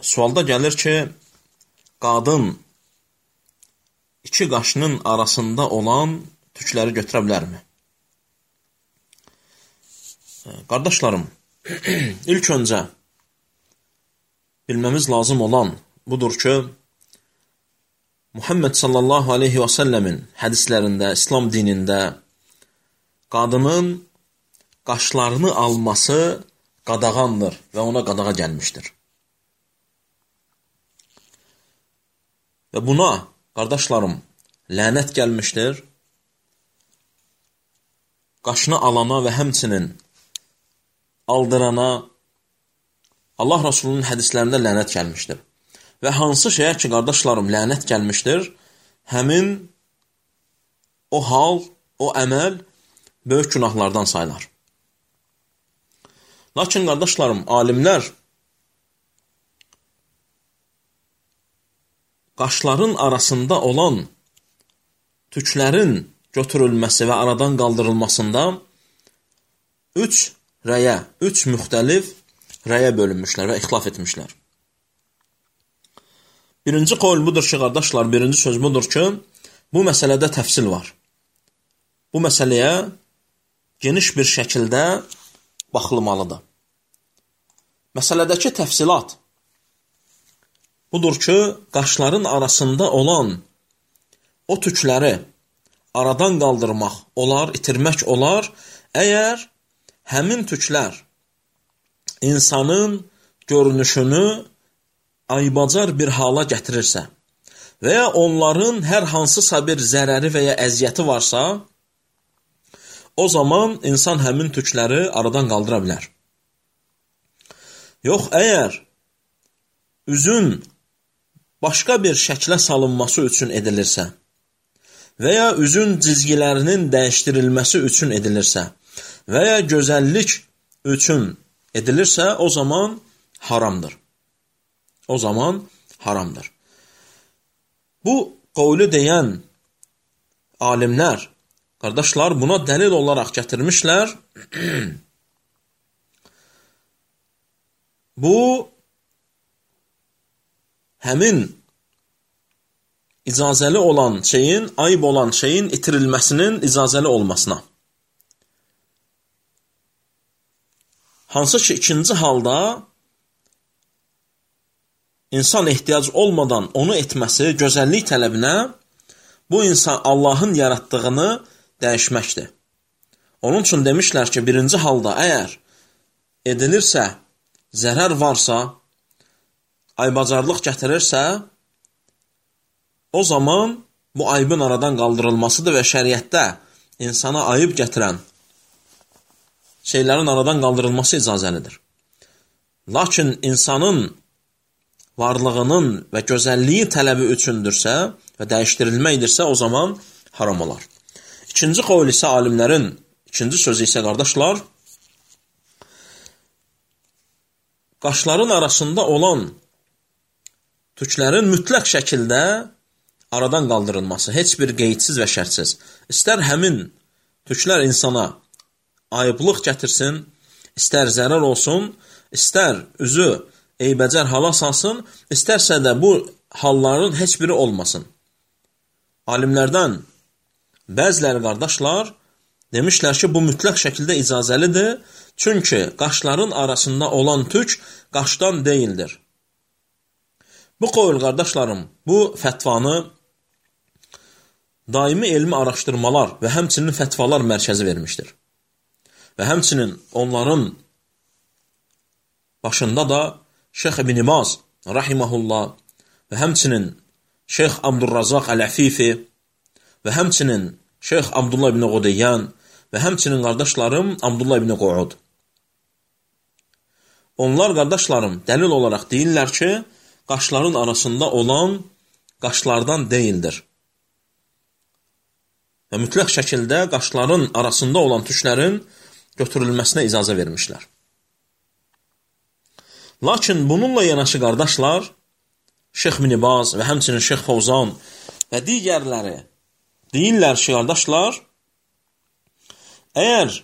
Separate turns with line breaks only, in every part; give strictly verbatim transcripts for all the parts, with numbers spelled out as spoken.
Sualda gəlir ki, qadın iki qaşının arasında olan tükləri götürə bilərmi? Qardaşlarım, ilk öncə bilməmiz lazım olan budur ki, Muhammed sallallahu aleyhi və səlləmin hədislərində, İslam dinində qadının qaşlarını alması qadağandır və ona qadağa gəlmişdir. Və buna, qardaşlarım, lənət gəlmişdir. Qaşını alana və həmçinin aldırana Allah Rasulunun hədislərində lənət gəlmişdir. Və hansı şeyə ki, qardaşlarım, lənət gəlmişdir, həmin o hal, o əməl böyük günahlardan sayılar. Lakin, qardaşlarım, alimlər qaşların arasında olan tüklərin götürülməsi və aradan qaldırılmasında üç rəyə, üç müxtəlif rəyə bölünmüşlər və ixtilaf etmişlər. Birinci qol budur ki, qardaşlar, birinci söz budur ki, bu məsələdə təfsil var. Bu məsələyə geniş bir şəkildə baxılmalıdır. Məsələdəki təfsilat budur ki, qaşların arasında olan o tükləri aradan qaldırmaq olar, itirmək olar, əgər həmin tüklər insanın görünüşünü aybacar bir hala gətirirsə və ya onların hər hansısa bir zərəri və ya əziyyəti varsa, o zaman insan həmin tükləri aradan qaldıra bilər. Yox, əgər üzün başqa bir şəklə salınması üçün edilirsə və ya üzün cizgilərinin dəyişdirilməsi üçün edilirsə və ya gözəllik üçün edilirsə, o zaman haramdır. O zaman haramdır. Bu qovlu deyən alimlər, qardaşlar, buna dəlil olaraq gətirmişlər. Bu, həmin icazəli olan şeyin, ayıb olan şeyin itirilməsinin icazəli olmasına. Hansı ki, ikinci halda insan ehtiyac olmadan onu etməsi, gözəllik tələbinə, bu insan Allahın yaratdığını dəyişməkdir. Onun üçün demişlər ki, birinci halda əgər edilirsə, zərər varsa, aybacarlıq gətirirsə, o zaman bu aybın aradan qaldırılmasıdır və şəriətdə insana ayıb gətirən şeylərin aradan qaldırılması icazəlidir. Lakin insanın varlığının və gözəlliyi tələbi üçündürsə və dəyişdirilməkdirsə, o zaman haram olar. İkinci qovul isə alimlərin, ikinci sözü isə, qardaşlar, qaşların arasında olan tüklərin mütləq şəkildə aradan qaldırılması, heç bir qeydsiz və şərtsiz. İstər həmin tüklər insana ayıblıq gətirsin, istər zərər olsun, istər üzü eybəcər hala salsın, istərsə də bu halların heç biri olmasın. Alimlərdən bəziləri, qardaşlar, demişlər ki, bu mütləq şəkildə icazəlidir, çünki qaşların arasında olan tük qaşdan deyildir. Bu qovul, qardaşlarım, bu fətvanı daimi elmi araşdırmalar və həmçinin fətvalar mərkəzi vermişdir. Və həmçinin onların başında da Şeyx İbn Baz, rahiməhullah, və həmçinin Şeyx Abdurrazaq Əl-Əfifi və həmçinin Şeyx Abdullah ibn Qudeyyan və həmçinin qardaşlarım Abdullah ibn Qu'ud. Onlar, qardaşlarım, dəlil olaraq deyirlər ki, qaşların arasında olan qaşlardan deyildir. Və mütləq şəkildə qaşların arasında olan tüklərin götürülməsinə icazə vermişlər. Lakin bununla yanaşı, qardaşlar, Şeyx İbn Baz və həmçinin Şeyx Fovzan və digərləri deyirlər ki, qardaşlar, əgər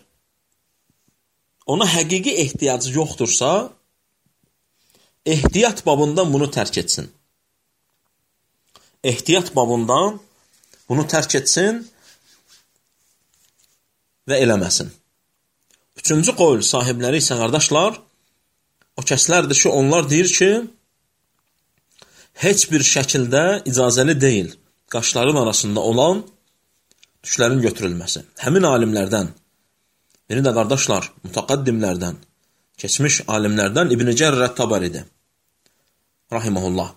ona həqiqi ehtiyacı yoxdursa, ehtiyat babından bunu tərk etsin. Ehtiyat babından bunu tərk etsin və eləməsin. Üçüncü qol sahibləri isə qardaşlar, o kəslərdir ki, onlar deyir ki, heç bir şəkildə icazəli deyil qaşların arasında olan tüklərin götürülməsi. Həmin alimlərdən, biri də qardaşlar, mütəqaddimlərdən, keçmiş alimlərdən İbn Cərir Ət-Tabaridir, rahiməhullah.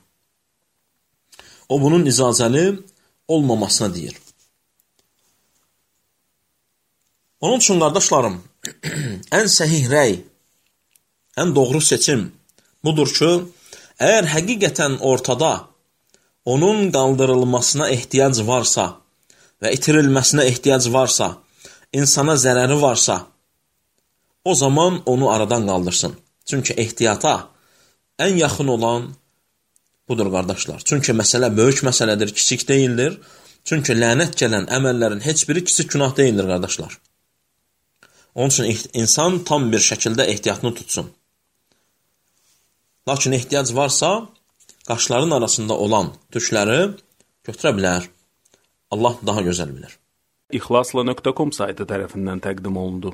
O, bunun icazəli olmamasına deyir. Onun üçün, qardaşlarım, ən səhih rəy, ən doğru seçim budur ki, əgər həqiqətən ortada onun qaldırılmasına ehtiyac varsa və itirilməsinə ehtiyac varsa, insana zərəri varsa, o zaman onu aradan qaldırsın. Çünki ehtiyata ən yaxın olan budur, qardaşlar. Çünki məsələ böyük məsələdir, kiçik deyildir. Çünki lənət gələn əməllərin heç biri kiçik günah deyildir, qardaşlar. Onun üçün insan tam bir şəkildə ehtiyatını tutsun. Lakin ehtiyac varsa, qaşların arasında olan tükləri götürə bilər. Allah daha gözəl bilir.
İxlasla nöqtə com saytı tərəfindən təqdim olundu.